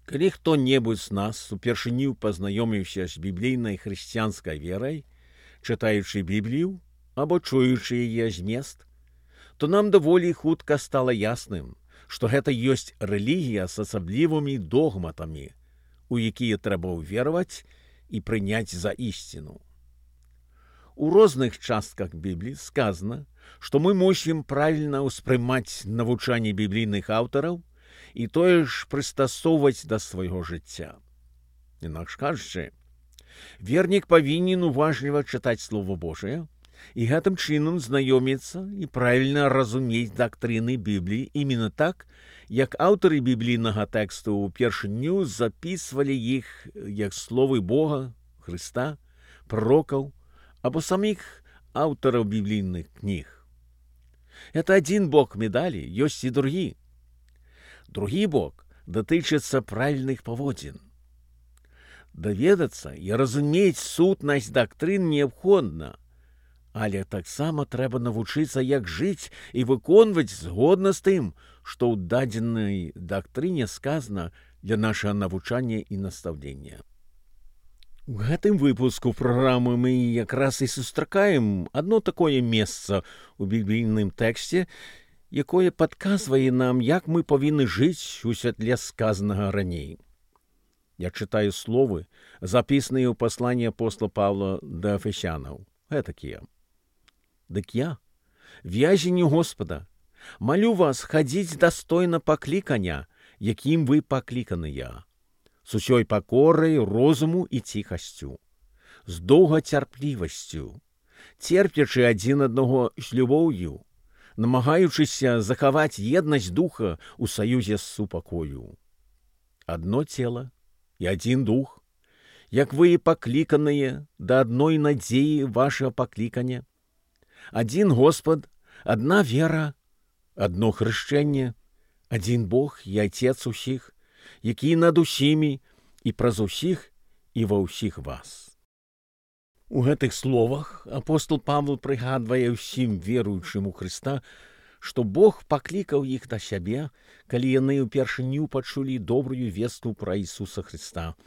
Калі хто-небудзь з нас упершыню пазнаёміўся з біблійнай хрысціянскай верай, чытаючы Біблію або чуючы яе змест, то нам даволі хутка стала ясным, што гэта ёсць рэлігія з асаблівымі догматамі, у якія трэба ўвераваць і прыняць за ісціну. У розных частках Бібліі сказана, што мы мусім правільна ўспрымаць навучанне біблійных аўтараў і тое ж прыстасоўваць да свайго жыцця. Інакш кажучы, вернік павінен уважліва чытаць Слова Божае і гэтым чынам знаёміцца і правільна разумець дактрыны Бібліі іменно так, як аўтары біблійнага тэксту ўпершыню запісвалі іх як словы Бога, Хрыста, пророкаў або саміх аўтараў біблійных кніг. Это адзін бок медалі, ёсць і другі. Другі бок датычыцца правільных паводзін. Даведацца і разумець сутнасць дактрын неабходна, але таксама трэба навучыцца, як жыць і выконваць згодна з тым, што ў дадзенай дактрыне сказана для нашага навучання і настаўлення. У гэтым выпуску праграмы мы якраз і сустракаем адно такое месца ў біблійным тэксце, якое падказвае нам, як мы павінны жыць у святле сказанага раней. Я чытаю словы, запісаныя ў пасланні апостола Павла да Эфесянаў. Гэтакія. Дык я, вязень Господа, малю вас хадзіць дастойна паклікання, якім вы пакліканыя, з усёй пакорай, розуму і ціхасцю, з доўгацярплівасцю, церпячы адзін аднаго з любоўю, намагаючыся захаваць еднасць духа ў саюзе з супакою. Адно цела і адзін дух, як вы і пакліканыя да адной надзеі вашага паклікання, адзін Господ, адна вера, адно хрышчэнне, адзін Бог і Отец усіх, які над усімі і праз усіх і ва ўсіх вас. У гэтых словах апостол Павел прыгадвае ўсім веруючым у Хрыста, што Бог паклікаў іх да сябе, калі яны ўпершыню пачулі добрую вестку пра Ісуса Хрыста,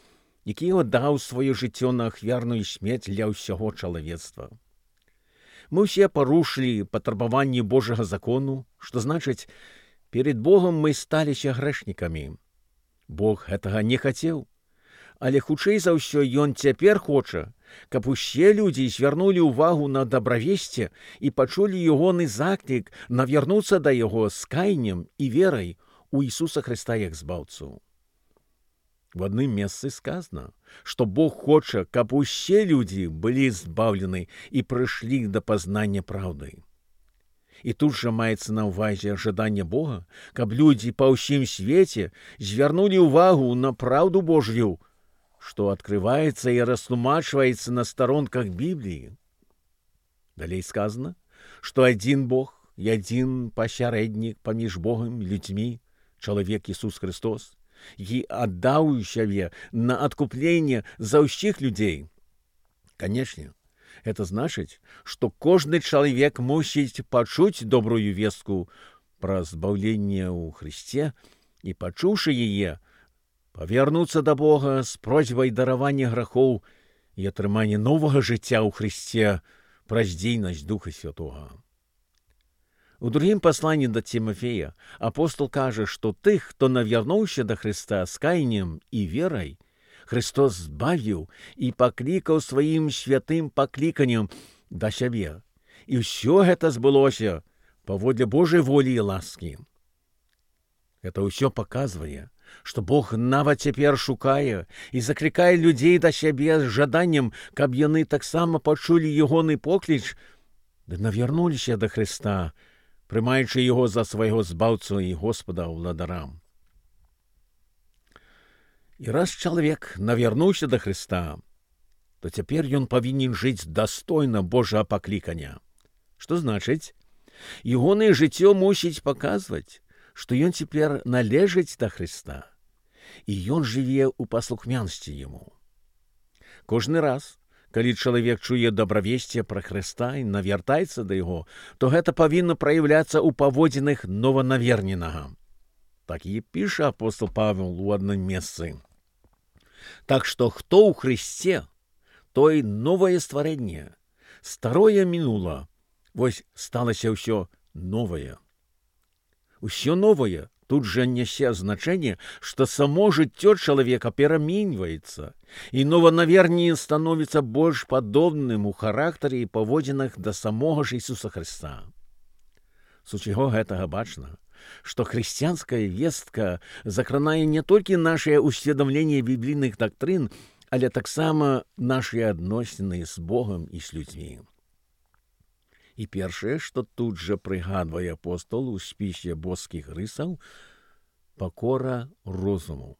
які аддаў сваё жыццё на ахвярную смерць для ўсяго чалавецтва. Мы ўсе парушылі патрабаванні Божага закону, што значыць, перед Богом мы сталіся грэшнікамі. Бог гэтага не хацеў, але хутчэй за ўсё ён цяпер хоча, каб усе людзі звярнулі ўвагу на дабравесце і пачулі ягоны заклік навярнуцца да яго з каяннем і верай у Ісуса Хрыста як збаўцу. В адным месцы сказана, што Бог хоча, каб усе людзі былі збаўлены і прыйшлі да пазнання праўды. І тут жа маецца на ўвазе жаданне Бога, каб людзі па ўсім свеце звярнулі ўвагу на праўду Божью, што адкрываецца і растлумачваецца на старонках Бібліі. Далей сказана, што адзін Бог і адзін пасярэднік паміж Богам і людзьмі, чалавек Ісус Хрыстос, які аддаў сябе на адкупленне за ўсіх людзей. Канечне, гэта значыць, што кожны чалавек мусіць пачуць добрую вестку пра збаўленне ў Хрысце і, пачуўшы яе, павярнуцца да Бога з просьбай даравання грахоў і атрымання новага жыцця ў Хрысце праз дзейнасць Духа Святога. У другім пасланні да Тимофея апостол кажа, што тых, хто навярнуўся да Хрыста з каяннем і верай, Христос збавіў і паклікаў сваім святым пакліканнем да сябе. І ўсё гэта збылося паводле Божай волі і ласкі. Гэта ўсё паказвае, што Бог нават цяпер шукае і заклікае людзей да сябе з жаданнем, каб яны таксама пачулі ягоны покліч ды навярнуліся да Хрыста, прымаючы яго за свайго збаўцу і Господа ўладарам. І раз чалавек навярнуўся да Хрыста, то цяпер ён павінен жыць дастойна Божага паклікання. Што значыць, ягонае жыццё мусіць паказваць, што ён цяпер належыць да Хрыста, і ён жыве ў паслухмянстве яму. Кожны раз, калі чалавек чуе дабравесце пра Хрыста і навяртаецца да яго, то гэта павінна праяўляцца ў паводзінах нованаверненага. Так і піша апостол Павел у адным месцы. Так што хто ў Хрысце, той новае стварэнне. Старое мінула, вось сталася ўсё новае. Усё новае тут жа нясе значэнне, што само жыццё чалавека пераменьваецца, і нованавернее становіцца больш падобным у характары і паводзінах да самога ж Ісуса Хрыста. З усяго гэтага бачна, што хрысціянская вестка закранае не толькі нашае усведамленне біблійных дактрын, але таксама нашыя адносіны з Богам і з людзьмі. І першае, што тут жа прыгадвае апостол у спісе боскіх рысаў, пакора розуму.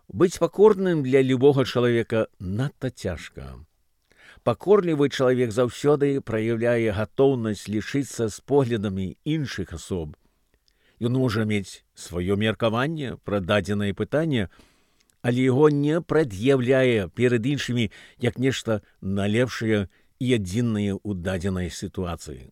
Быць пакорным для любога чалавека надта цяжка. Пакорлівы чалавек заўсёды праяўляе гатоўнасць лічыцца з поглядамі іншых асоб. Ён можа мець сваё меркаванне пра дадзенае пытанне, але яго не прад'яўляе перад іншымі як нешта налепшае і адзінае ў дадзенай сітуацыі.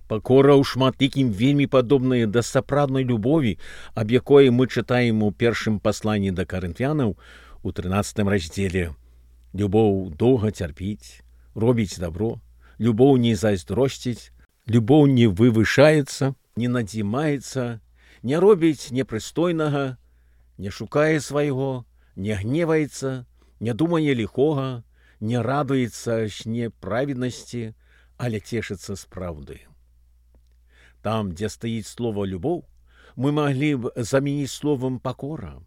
Пакора ў шматлікім вельмі падобная да сапраўднай любові, аб якой мы чытаем у першым пасланні да карынфянаў у 13 раздзеле. Любоў доўга цярпіць, робіць дабро, любоў не зайздросціць, любоў не вывышаецца, не надзімаецца, не робіць непрыстойнага, не шукае свайго, не гневаецца, не думае ліхога, не радуецца з неправеднасці, але цешыцца з праўды. Там, дзе стаіць слова «любоў», мы маглі б замяніць словам «пакора».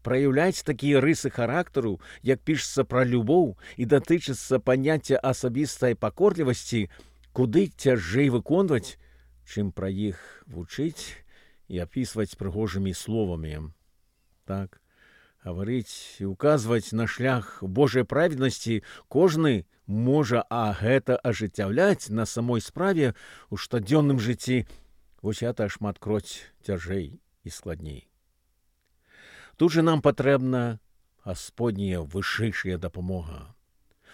Праяўляць такія рысы характару, як пішацца пра любоў і датычыцца паняцця асабістай пакорлівасці, куды цяжэй выконваць, чым пра іх вучыць і апісваць прыгожымі словамі. Так, гаварыць і указваць на шлях Божай праведнасці кожны можа, а гэта ажыццяўляць на самой справе ў штодзённым жыцці, вось гэта шматкроць цяжэй і складней. Тут жа нам патрэбна Гасподняя вышэйшая дапамога.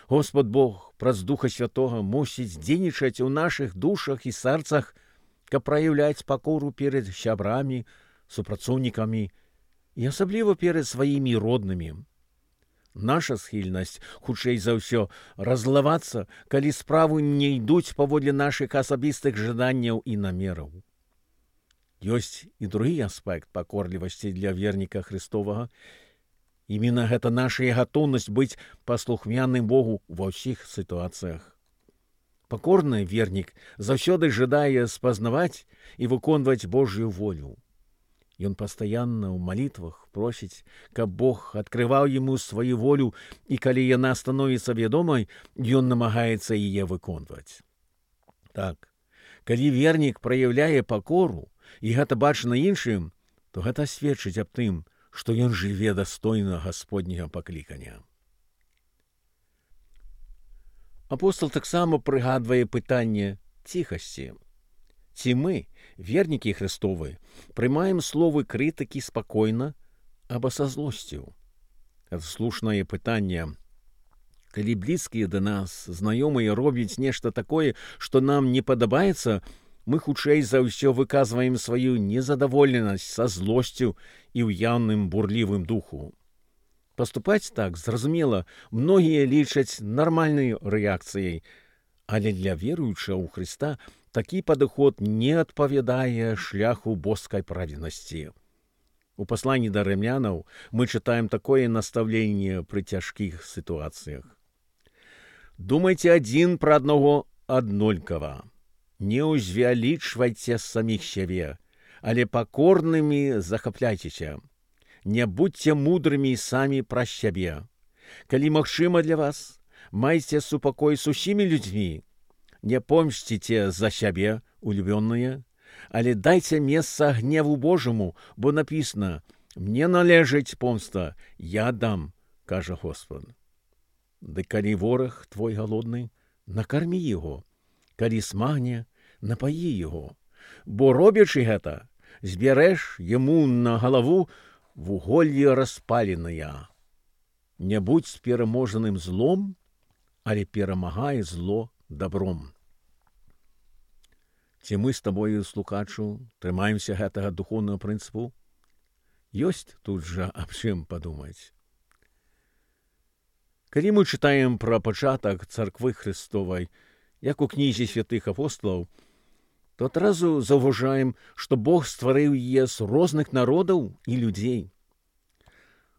Господ Бог праз Духа Святога мусіць дзейнічаць у нашых душах і сэрцах, каб праяўляць пакору перад сябрамі, супрацоўнікамі і асабліва перад сваімі роднымі. Наша схільнасць, хутчэй за ўсё, разлавацца, калі справы не ідуць паводле нашых асабістых жаданняў і намераў. Ёсць і другі аспект пакорлівасці для верніка Христовага. Іменно гэта наша гатоўнасць быць паслухмяным Богу ва ўсіх сітуацыях. Пакорны вернік заўсёды жадае спазнаваць і выконваць Божью волю. Ён пастаянна ў малітвах просіць, каб Бог адкрываў яму сваю волю, і калі яна становіцца вядомай, ён намагаецца яе выконваць. Так, калі вернік праяўляе пакору, і гэта бачна іншым, то гэта сведчыць аб тым, што ён жыве дастойна Гасподняга паклікання. Апостол таксама прыгадвае пытанне ціхасці. Ці мы, вернікі Христовы, прымаем словы крытыкі спакойна або са злосцю? Гэта слушнае пытанне. Калі блізкія да нас, знаёмыя робяць нешта такое, што нам не падабаецца, мы хутчэй за ўсё выказваем сваю незадаволенасць са злосцю і ў яўным бурлівым духу. Паступаць так, зразумела, многія лічаць нармальнай рэакцыяй, але для веруючага ў Хрыста такі падыход не адпавядае шляху боскай праведнасці. У пасланні да рымлянаў мы чытаем такое настаўленне пры цяжкіх сітуацыях. Думайце адзін пра аднаго аднолькава. Не ўзвялічвайце саміх сябе, але пакорнымі захапляйцеся. Не будьце мудрымі самі пра сябе. Калі магчыма для вас, майце супакой з усімі людзьмі. Не помсціце за сябе, улюбённыя, але дайце месца гневу Божаму, бо напісана: «Мне належыць помста, я дам», кажа Господ. Ды калі вораг твой галодны, накармі яго, калі смагне, напаі яго, бо робячы гэта, збярэш яму на галаву вуголле распаленае. Не будзь пераможаным злом, але перамагай зло добром. Ці мы з табою, слухачу, трымаемся гэтага духоўнага прынцыпу? Ёсць тут жа аб чым падумаць. Калі мы чытаем пра пачатак царквы Христовай, як у кнізе святых апосталаў, то адразу заўважаем, што Бог стварыў яе з розных народаў і людзей.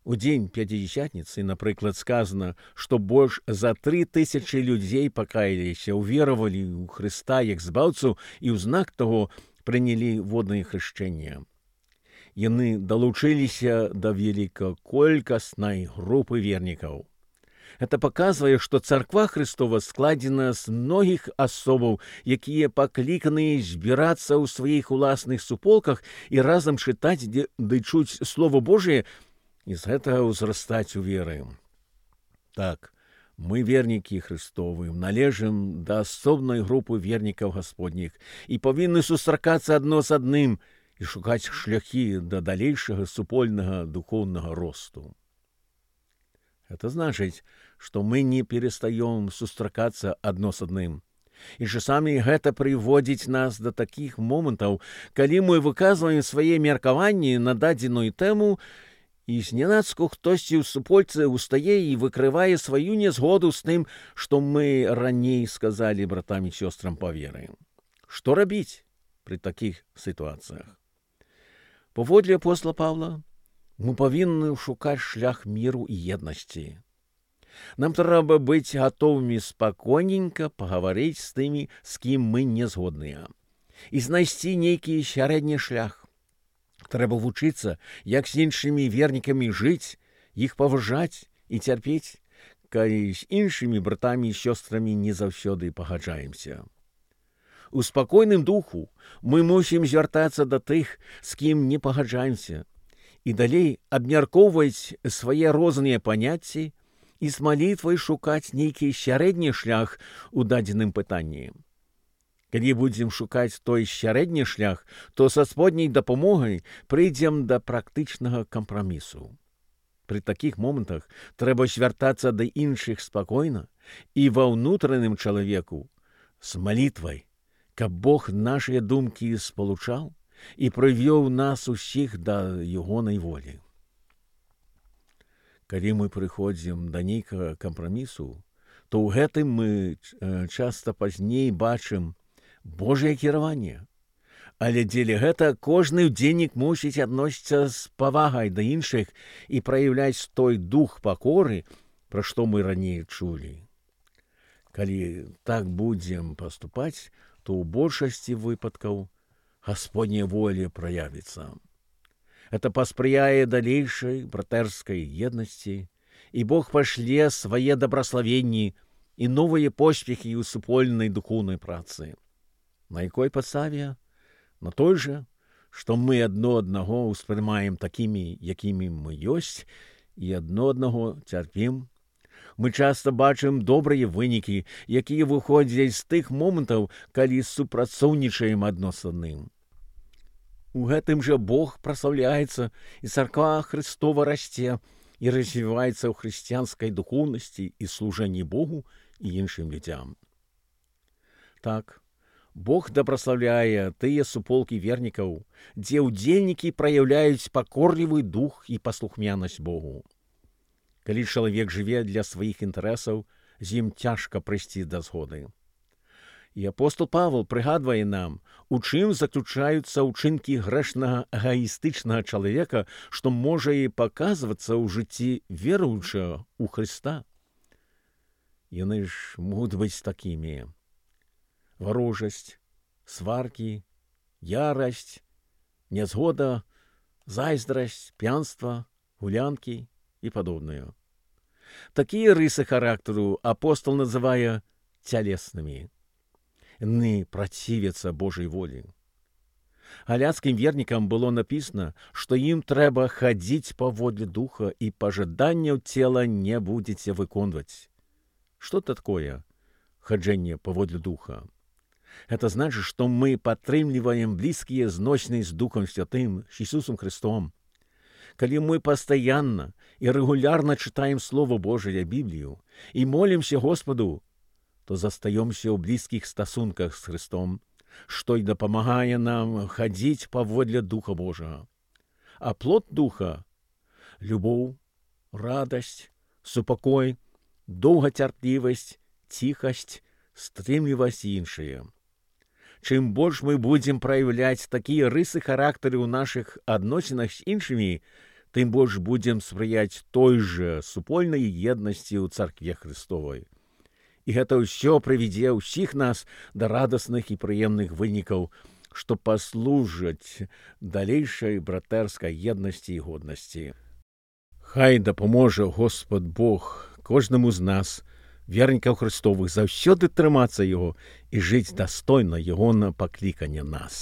У дзень Пятидесятніцы, напрыклад, сказана, што больш за 3000 людзей пакаяліся, уверавалі ў Хрыста як збаўцу і ў знак таго прынялі воднае хрышчэнне. Яны далучыліся да велікаколькаснай групы вернікаў. Гэта паказвае, што царква Христова складзена з многіх асобаў, якія пакліканыя збірацца ў сваіх уласных суполках і разам чытаць ды чуць Слова Божие, і з гэтага ўзрастаць у веры. Так, мы, вернікі Христовы, належым да асобнай групы вернікаў Гасподніх і павінны сустракацца адно з адным і шукаць шляхі да далейшага супольнага духоўнага росту. Это значыць, што мы не перастаём сустракацца адно з адным. І часамі гэта прыводзіць нас да такіх момантаў, калі мы выказваем свае меркаванні на дадзеную тэму, і знянацку хтосьці ў супольцы устае і выкрывае сваю нязгоду з тым, што мы раней сказалі братам і сёстрам па веры. Што рабіць пры такіх сітуацыях? Паводле апостола Павла, мы павінны шукаць шлях міру і еднасці. Нам трэба быць гатовымі спакойненька пагаварыць з тымі, з кім мы не згодныя, і знайсці нейкі сярэдні шлях. Трэба вучыцца, як з іншымі вернікамі жыць, іх паважаць і цярпець, калі з іншымі братамі і сёстрамі не заўсёды пагаджаемся. У спакойным духу мы мусім звяртацца да тых, з кім не пагаджаемся, і далей абмяркоўваць свае розныя паняцці і з малітвай шукаць нейкі сярэдні шлях у дадзеным пытанні. Калі будзем шукаць той сярэдні шлях, то са Гасподняй дапамогай прыйдзем да практычнага кампрамісу. Пры такіх момантах трэба звяртацца да іншых спакойна і ва ўнутраным чалавеку з малітвай, каб Бог нашыя думкі спалучаў і прывёў нас усіх да ягонай волі. Калі мы прыходзім да нейкага кампрамісу, то ў гэтым мы часта пазней бачым Божае кіраванне. Але дзеля гэта кожны ўдзельнік мусіць адносіцца з павагай да іншых і праяўляць той дух пакоры, пра што мы раней чулі. Калі так будзем паступаць, то ў большасці выпадкаў Гасподняя воля праявіцца. Это паспрыяе далейшай братэрскай еднасці, і Бог пашле свае дабраславенні і новыя поспехі ў супольнай духоўнай працы. На якой падставе? На той жа, што мы адно аднаго ўспрымаем такімі, якімі мы ёсць, і адно аднаго цярпім. Мы часта бачым добрыя вынікі, якія выходзяць з тых момантаў, калі супрацоўнічаем адно з адным. У гэтым жа Бог праслаўляецца, і царква Христова расце і развіваецца ў хрысціянскай духоўнасці і служэнні Богу і іншым людзям. Так, Бог дабраслаўляе тыя суполкі вернікаў, дзе ўдзельнікі праяўляюць пакорлівы дух і паслухмянасць Богу. Калі чалавек жыве для сваіх інтарэсаў, з ім цяжка прыйсці да згоды. І апостол Павел прыгадвае нам, у чым заключаюцца ўчынкі грэшнага эгаістычнага чалавека, што можа і паказвацца ў жыцці веруючага ў Хрыста. Яны ж могуць быць такімі: варожасць, сваркі, ярасць, нязгода, зайздрасць, п'янства, гулянкі і падобнае. Такія рысы характару апостол называе цялеснымі. Яны працівяцца Божай волі. Галяцкім вернікам было напісана, што ім трэба хадзіць паводле духа і пажаданняў цела не будзеце выконваць. Што такое хаджэнне паводле духа? Это значит, что мы падтрымліваем блізкія зносіны з Духом Святым, з Ісусом Христом. Калі мы пастаянна і рэгулярна чытаем Слово Божие, Біблію, і молімся Господу, то застаёмся ў блізкіх стасунках з Христом, што й дапамагае нам хадзіць паводле Духа Божага. А плод Духа — любоў, радасць, супакой, доўгацярплівасць, ціхасць, стрымлівасць і іншыя. Чым больш мы будзем праяўляць такія рысы характару ў нашых адносінах з іншымі, тым больш будзем спрыяць той жа супольнай еднасці ў царкве Христовай. І гэта ўсё прывядзе ўсіх нас да радасных і прыемных вынікаў, што паслужаць далейшай братэрскай еднасці і годнасці. Хай дапаможа Господ Бог кожнаму з нас, вернікаў Христовых, заўсёды трымацца Яго і жыць дастойна Яго на паклікання нас.